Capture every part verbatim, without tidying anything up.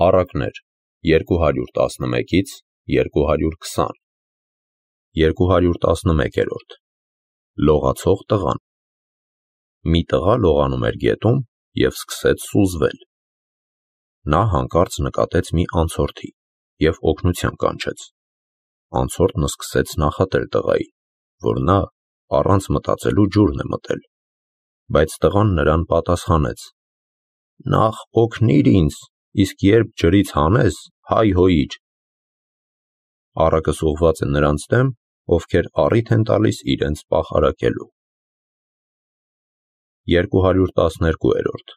Առակներ երկու հարյուր տասնմեկից երկու հարյուր քսան երկու հարյուր տասնմեկերորդ Լողացող տղան Մի տղա լողանում էր գետում և սկսեց սուզվել։ Նա հանկարծ նկատեց մի անցորդի և օգնության կանչեց։ Անցորդն սկսեց նախատել տղային, որ նա առանց մտածելու ջուրն է մտել, բայց տղան նրան պատասխանեց. «Նախ օգնիր ինձ, իսկ երբ ջրից հանես, հայ հոյիր»։ Առակս ուղղված է նրանց դեմ, ովքեր առիթ են տալիս իրենց պախարակելու։ երկու հարյուր տասներկուերորդ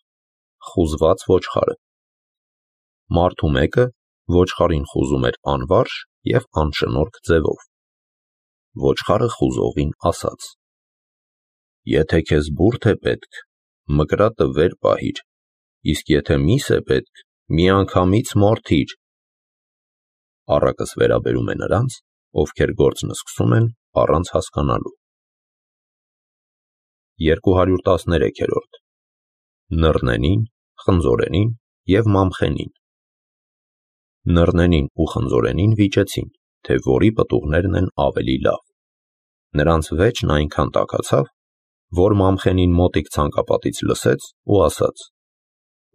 Խուզված ոչխարը Մարդու մեկը ոչխարին խուզում էր անվարժ և անշնորհք ձևով։ Ոչխարը խուզողին ասաց. «Եթե քեզ բուրդ է պետք, մկրատը վեր պահիր, իսկ եթե միս է պետք, միանգամից մորթիր»։ Առակս վերաբերում է նրանց, ովքեր գործն սկսում են առանց հասկանալու։ երկու հարյուր տասներեքերորդ Նռնենին, խնձորենին և մամխենին Նռնենին ու խնձորենին վիճեցին, թե որի պտուղներն են ավելի լավ։ Նրանց վեճն այնքան տաքացավ, որ մամխենին մոտիկ ցանկապատից լսեց ու ասաց.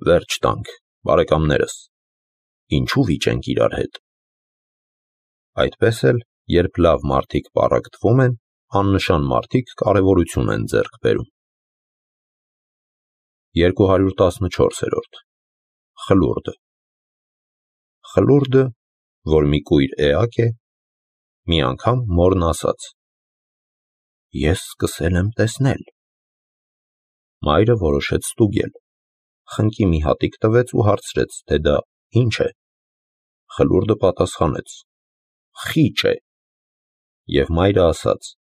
«Վերջ տանք, բարեկամներս, ինչու վիճենք իրար հետ»։ Այդպես էլ, երբ լավ մարդիկ պառակտվում են, աննշան մարդիկ կարևորություն են ձեռք բերում։ երկու հարյուր տասնչորսերորդ Խլուրդը Խլուրդը, որ մի կույր էակ է, մի անգամ մորն ասաց. «Ես սկսել եմ տեսնել»։ Մայրը որոշեց ստուգել, խնկի մի հատիկ տվեց ու հարցրեց, թե դա ինչ է։ Խլուրդը պատասխանեց. «Խիճ է»։ Եվ մայրը ասաց.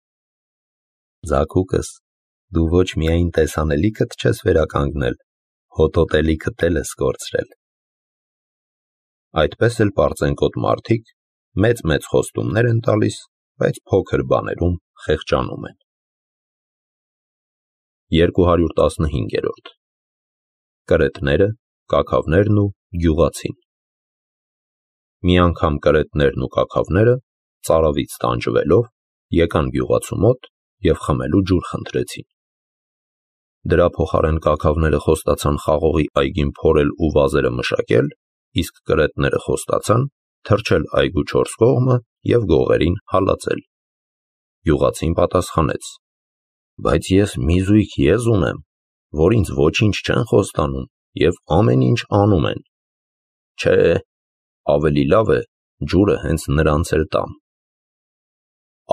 «Ձագուկս, դու ոչ միայն տեսանելիքդ չես վերականգնել, հոտոտելիքդ էլ ես կորցրել»։ Այդպես էլ պարծենկոտ մարդիկ մեծ-մեծ խոստումներ են տալիս, բայց փոքր բաներում խեղճանում են։ երկու հարյուր տասնհինգերորդ Կրետները, կաքավներն ու գյուղացին Մի անգամ կրետներն ու կաքավները, ծարավից տանջվելով, եկան գյուղացու մոտ և խմելու ջուր խնդրեցին։ Դրա փոխարեն կաքավները խոստացան խաղողի այգին փորել ու վազերը մշակել, իսկ կրետները խոստացան թրջել այգու չորս կողմը և գողերին հալածել։ Գյուղացին պատասխանեց. «Բայց ես մի զույգ եզ ունեմ, որ ինձ ոչինչ չեն խոստանում և ամեն ինչ անում են։ Չէ, ավելի լավ է ջուրը հենց նրանց էլ տամ»։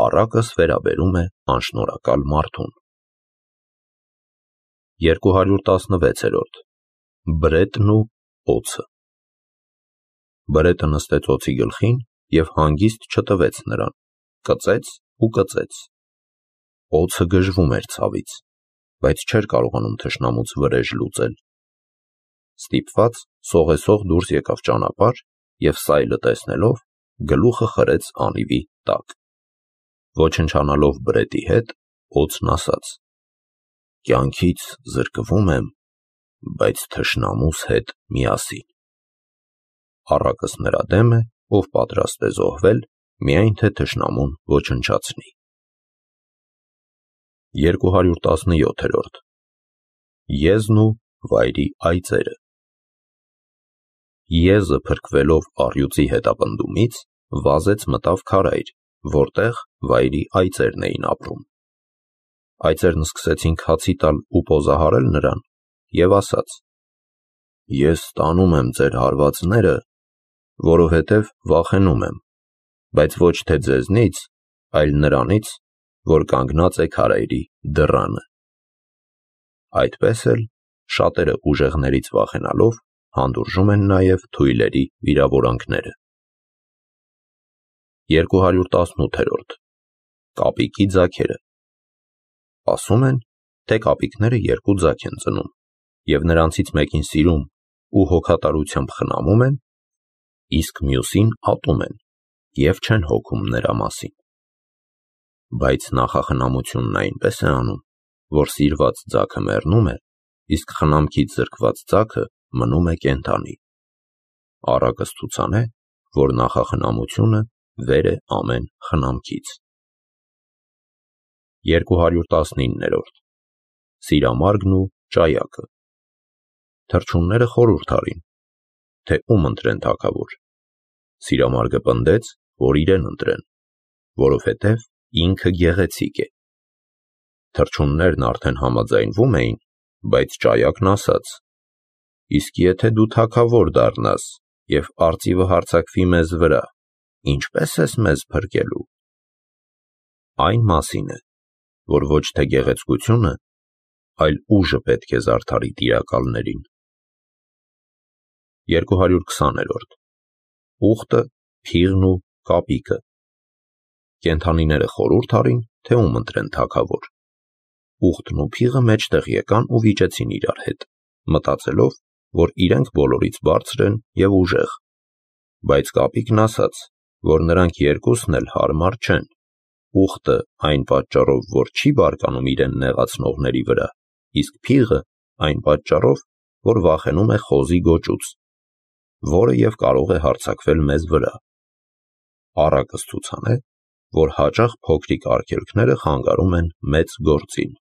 Առակս վերաբերում է անշնորհակալ մարդուն։ երկու հարյուր տասնվեցերորդ Բրետն ու օձը Բրետը նստեց օձի գլխին և հանգիստ չտվեց նրան, կծեց ու կծեց։ Օձը գժվում էր ցավից, բայց չէր կարողանում թշնամուց վրեժ լուծել։ Ստիպված սողեսող դուրս եկավ ճանապարհ և սայլը տեսնելով, գլուխը խրեց անիվի տակ։ Ոչնչանալով բրետի հետ, օձն ասաց. «Կյանքից զրկվում եմ, բայց թշնամուս հետ միասին»։ Առակս նրա դեմ է, ով պատրաստ է զոհվել, միայն թե թշնամուն ոչնչացնի։ երկու հարյուր տասնյոթերորդ Եզն ու վայրի այծերը Եզը փրկվելով առյուծի հետապնդումից, վազեց մտավ քարայր, որտեղ վայրի այծերն էին ապրում։ Այծերն սկսեցին քացի տալ ու պոզահարել նրան և ասաց. «Ես տանում եմ ձեր հարվածները, որովհետև վախենում եմ, բայց ոչ թե ձեզնից, այլ նրանից, որ կանգնած է քարայրի դռանը»։ Այդպես էլ, շատերը ուժեղներից վախենալով, հանդուրժում են նաև թույլերի վիրավորանքները։ երկու հարյուր տասնութերորդ Կապիկի ձագերը Ասում են, թե կապիկները երկու ձագ են ծնում, և նրանցից մեկին սիրում ու հոգատարությամբ խնամում են, իսկ մյուսին ատում են և չեն հոգում նրա մասին։ Բայց նախախնամությունն այնպես է անում, որ սիրված ձագը մեռնում է, իսկ խնամքից զրկված ձագը մնում է կենդանի։ առակը ցուցանե, որ նախախնամությունը վեր է ամեն խնամքից։ երկու հարյուր տասնիններորդ Սիրամարգն ու ճայակը։ Թռչունները խորհուրդ արին, թե ում ընտրեն թագավոր։ Սիրամարգը պնդեց, որ իրեն ընտրեն, որովհետև ինքը գեղեցիկ է։ Թռչուններն արդեն համաձայնվում էին, բայց ճայակն ասաց. «Իսկ եթե դու թագավոր դառնաս և արծիվը հարձակվի մեզ վրա, ինչպե՞ս ես մեզ փրկելու»։ Այն մասին է, որ ոչ թե գեղեցկությունը, այլ ուժը պետք է զարդարի տիրակալներին։ երկու հարյուր քսաներորդ Ուղտը, փիղն ու կապիկը։ Կենդանիները խորհուրդ արին, թե ում ընտրեն թագավոր։ Ուղտն ու փիղը մեջտեղ եկան ու վիճեցին իրար հետ, մտածելով, որ իրենք բոլորից բարձր են և ուժեղ։ Բայց կապիկն ասաց, որ նրանք երկուսն էլ հարմար չեն։ Ուղտը այն պատճառով, որ չի բարկանում իրեն նեղացնողների վրա, իսկ փիղը այն պատճառով, որ վախենում է խոզի գոճուց, որը և կարող է հարձակվել մեզ վրա։ Առակը ցուցանե, որ հաճախ փոքրիկ արգելքները խանգարում են մեծ գործին։